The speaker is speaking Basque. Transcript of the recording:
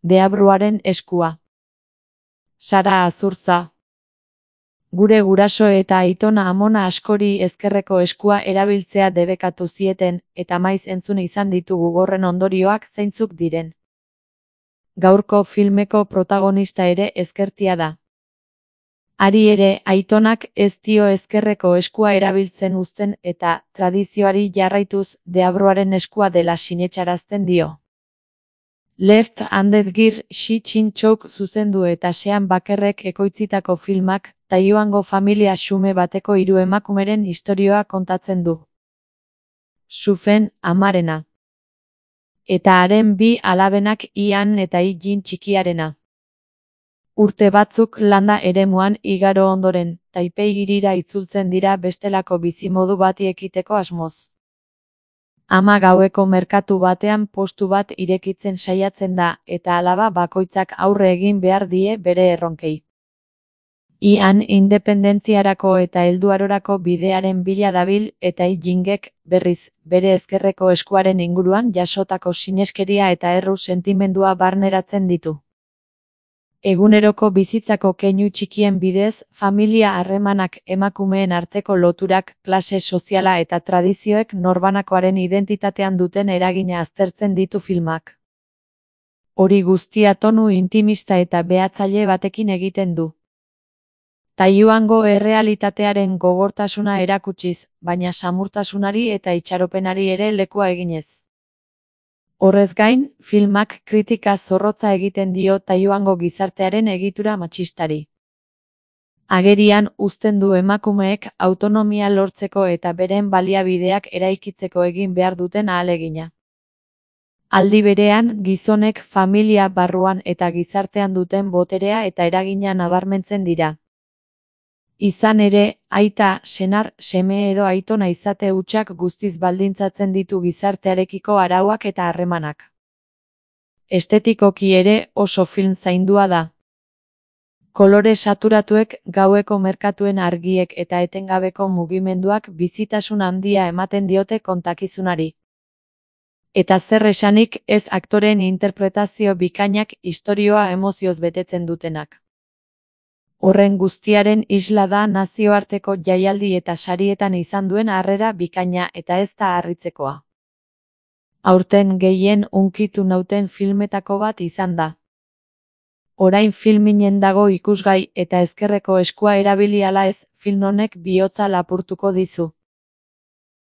Deabruaren eskua. Sara Azurtza. Gure guraso eta aitona amona askori ezkerreko eskua erabiltzea debekatu zieten, eta maiz entzun izan ditugu horren ondorioak zeintzuk diren. Gaurko filmeko protagonista ere ezkertia da. Hari ere, aitonak ez dio ezkerreko eskua erabiltzen uzten eta, tradizioari jarraituz, deabruaren eskua dela sinetsarazten dio. Left-handed Gear Shi-Chin-chouk zuzendu eta Sean Bakerrek ekoitzitako filmak, Taiwango familia xume bateko 3 emakumeren istorioa kontatzen du. Sufen, amarena. Eta haren 2 alabenak Ian eta Yi-Jin txikiarena. Urte batzuk landa eremuan igaro ondoren, Taipei hirira itzultzen dira bestelako bizimodu bati ekiteko asmoz. Ama gaueko merkatu batean postu bat irekitzen saiatzen da, eta alaba bakoitzak aurre egin behar die bere erronkei. Ian independentziarako eta helduarorako bidearen bila dabil eta Yi-Jingek, berriz, bere ezkerreko eskuaren inguruan jasotako sineskeria eta erru sentimendua barneratzen ditu. Eguneroko bizitzako keinu txikien bidez, familia harremanak, emakumeen arteko loturak, klase soziala eta tradizioek norbanakoaren identitatean duten eragina aztertzen ditu filmak. Hori guztia tonu intimista eta behatzaile batekin egiten du. Taiwango errealitatearen gogortasuna erakutsiz, baina samurtasunari eta itxaropenari ere lekua eginez. Horrez gain, filmak kritika zorrotza egiten dio Taiwango gizartearen egitura matxistari. Agerian uzten du emakumeek autonomia lortzeko eta beren baliabideak eraikitzeko egin behar duten ahalegina. Aldi berean, gizonek familia barruan eta gizartean duten boterea eta eragina nabarmentzen dira. Izan ere, aita, senar, seme edo aitona izate hutsak guztiz baldintzatzen ditu gizartearekiko arauak eta harremanak. Estetikoki ere oso film zaindua da. Kolore saturatuek, gaueko merkatuen argiek eta etengabeko mugimenduak bizitasun handia ematen diote kontakizunari. Eta zer esanik ez aktoreen interpretazio bikainak istorioa emozioz betetzen dutenak. Horren guztiaren isla da nazioarteko jaialdi eta sarietan izan duen harrera bikaina eta ez da harritzekoa. Aurten gehien hunkitu nauten filmetako bat izan da. Orain filminen dago ikusgai eta ezkerreko eskua erabili ala ez, film honek bihotza lapurtuko dizu.